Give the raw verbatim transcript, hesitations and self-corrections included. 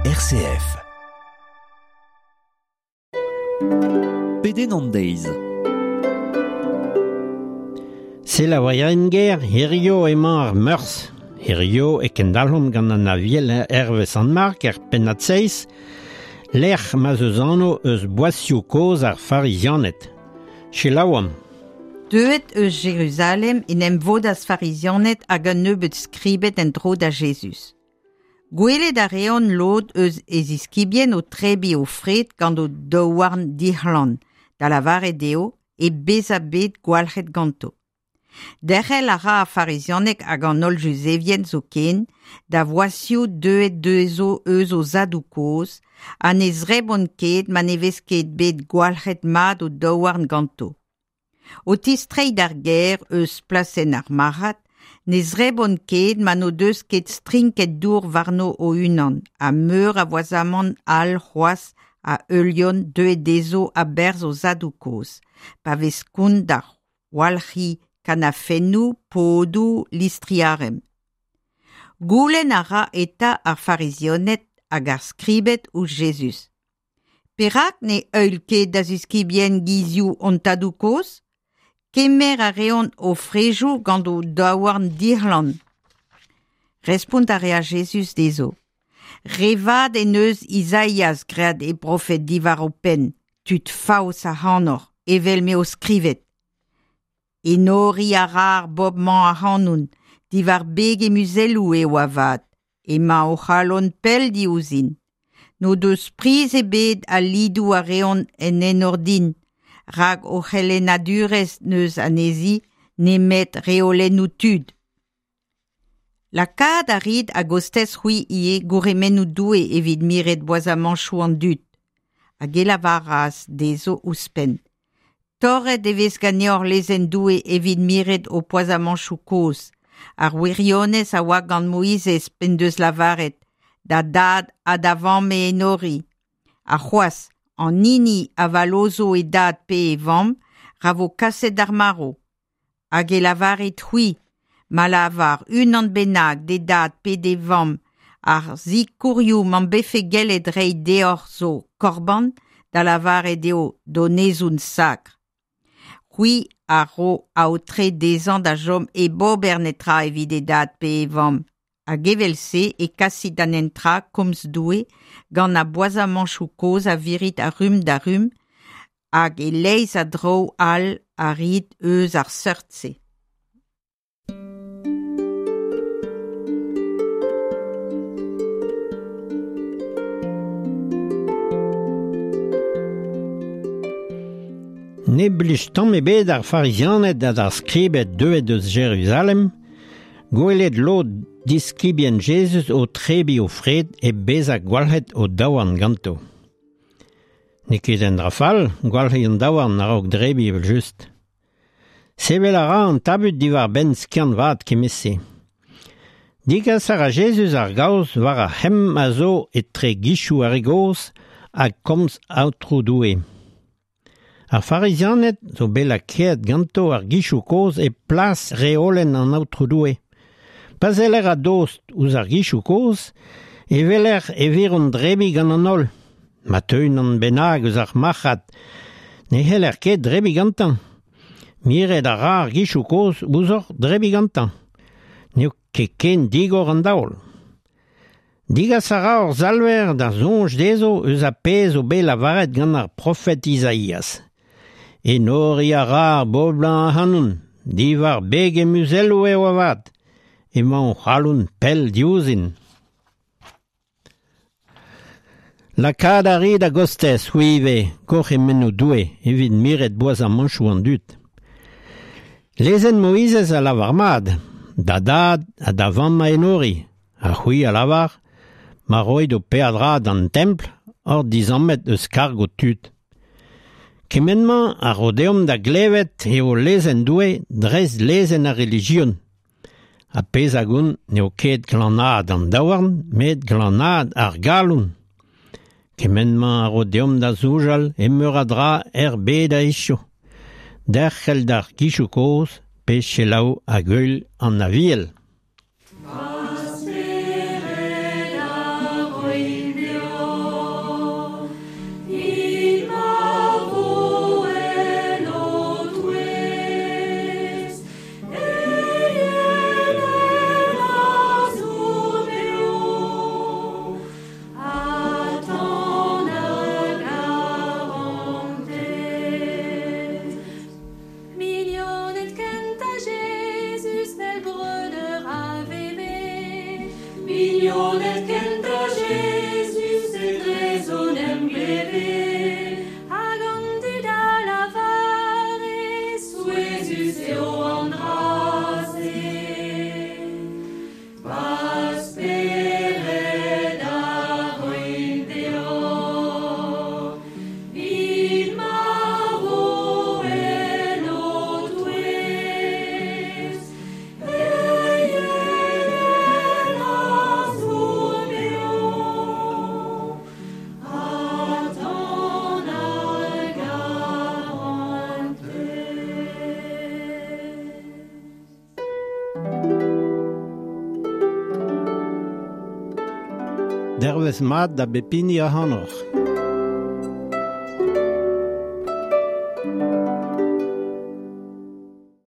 R C F. Pedenn an deiz. Selaouerien ger, hirio emañ ar Meurzh. Hirio e kendalc'homp gant an Aviel hervez Sant Mark er pennad seizh, lec'h ma 'z eus anv eus boazioù kozh ar Farizianed. Selaouomp. Deuet eus Jeruzalem en em vodas Farizianed hag un nebeud skribed en-dro da Jezuz. Gwelet a reont lod eus e ziskibien o tebriñ o fred gant o daouarn dic'hlan, da lavaret eo hep bezañ bet gwalc'het ganto. Derc'hel a ra ar Farizianed hag an holl Juzevien zoken da voazioù deuet dezho eus o zadoù-kozh ha ne zrebont ket ma ne vez ket bet gwalc'het mat o daouarn ganto. O tistreiñ d'ar gêr eus plasenn ar marc'had, ne zrebont ket ma n'o deus ket strinket dour warno o-unan ha meur a voazamant all c'hoazh a heuliont deuet dezho a-berzh o zadoù-kozh, pa vez kont da walc'hiñ kanafennoù, podoù, listri arem. Goulenn a ra eta ar Farizianed hag ar skribed ouzh Jezuz. Perak ne heuil ket da ziskibien gizioù hon tadoù-kozh? Kemer a reont o frejoù gant o daouarn dic'hlan. Respont a rea Jezuz dezho. Re vat en deus Izaias graet e brofed diwar ho penn, tud faos ac'hanoc'h, evel m'eo skrivet. Enoriñ a ra ar bobl-mañ ac'hanon, diwar beg he muzelloù eo avat, emañ o c'halon pell diouzhin. N'o deus priz ebet al lidoù a reont en enor din, rak o c'helennadurezh n'eus anezhi nemet reolennoù tud. Lakaat a rit a-gostez c'hwi ivez gourc'hemennoù Doue evit miret boazamantoù an dud. Hag e lavaras dezho ouzhpenn. Torret e vez ganeoc'h lezenn Doue evit miret ho poazamantoù kozh. Ar wirionez a oa gant Moizez p'en deus lavaret, da dad ha da vamm e enori. Ha c'hoazh, an hini a vallozho e dad pe e vamm, ra vo kaset d'ar marv. Hag e lavarit c'hwi, ma lavar unan bennak d'e dad pe d'e vamm, ar sikourioù m'am befe gellet reiñ deoc'h zo korban, da lavaret eo donezon sakr. C'hwi a ro aotre dezhañ da chom hep ober netra evit e dad pe e vamm. Hag evel-se e kasit da netra komz Doue gant ar boazamantoù kozh a virit a rumm da rumm hag e-leizh a draoù all a rit eus ar seurt-se. Ne blij tamm ebet d'ar Farizianed ha d'ar skribed deuet eus Jeruzalem, gwelet lod diskibien Jezuz o tebriñ o fred hep bezañ gwalc'het o daouarn ganto. N'eo ket un dra fall, gwalc'hiñ an daouarn a-raok debriñ evel-just. Sevel a ra an tabut diwar-benn skiant vat kement-se. Degas a ra Jezuz ar gaoz war ar c'hemm a zo etre gizioù ar re gozh ha komz Aotrou Doue. Ar Farizianed zo bet lakaet ganto ar gizioù kozh e plas reolenn an Aotrou Doue. Pa seller a-dost ouzh ar gizioù kozh, e weler e viront debriñ gant an holl. Ma teu unan bennak eus ar marc'had, ne c'heller ket debriñ gantañ. Miret a ra ar gizioù kozh ouzhoc'h debriñ gantañ. N'eo ket ken digor an daol. Degas a ra hor Salver da soñj dezho eus ar pezh zo bet lavaret gant ar profed Izaias. Enoriñ a ra ar bobl-mañ ac'hanon, diwar beg he muzelloù eo avat, emañ o c'halon pell diouzhin. Lakaat a rit a-gostez, c'hwi ivez, gourc'hemennoù Doue evit miret boazamantoù an dud. Lezenn Moizez a lavar mat, da dad ha da vamm a enori, ha c'hwi a lavar, ma roit ho peadra d'an templ oc'h dizammet eus karg ho tud. Kement-mañ a ro deomp da glevet eo lezenn Doue dreist lezenn ar relijion. Ar pezh a gont n'eo ket glanaat an daouarn, met glanaat ar galon. Kement-mañ a ro deomp da soñjal e meur a dra er bed a hiziv. Derc'hel d'ar gizioù kozh pe selaou hag heul an Aviel. Va spered a roy Mignoned kentañ Jezuz etrezo 'n em gleve, hag an dud a lavare, souezhus eo an dra-se. Va spered a roin deoc'h, 'vit ma vo en ho touez. Eienenn a zour beo, ha tan ar garantez. Dervezh mat da bep hini ac'hanoc'h.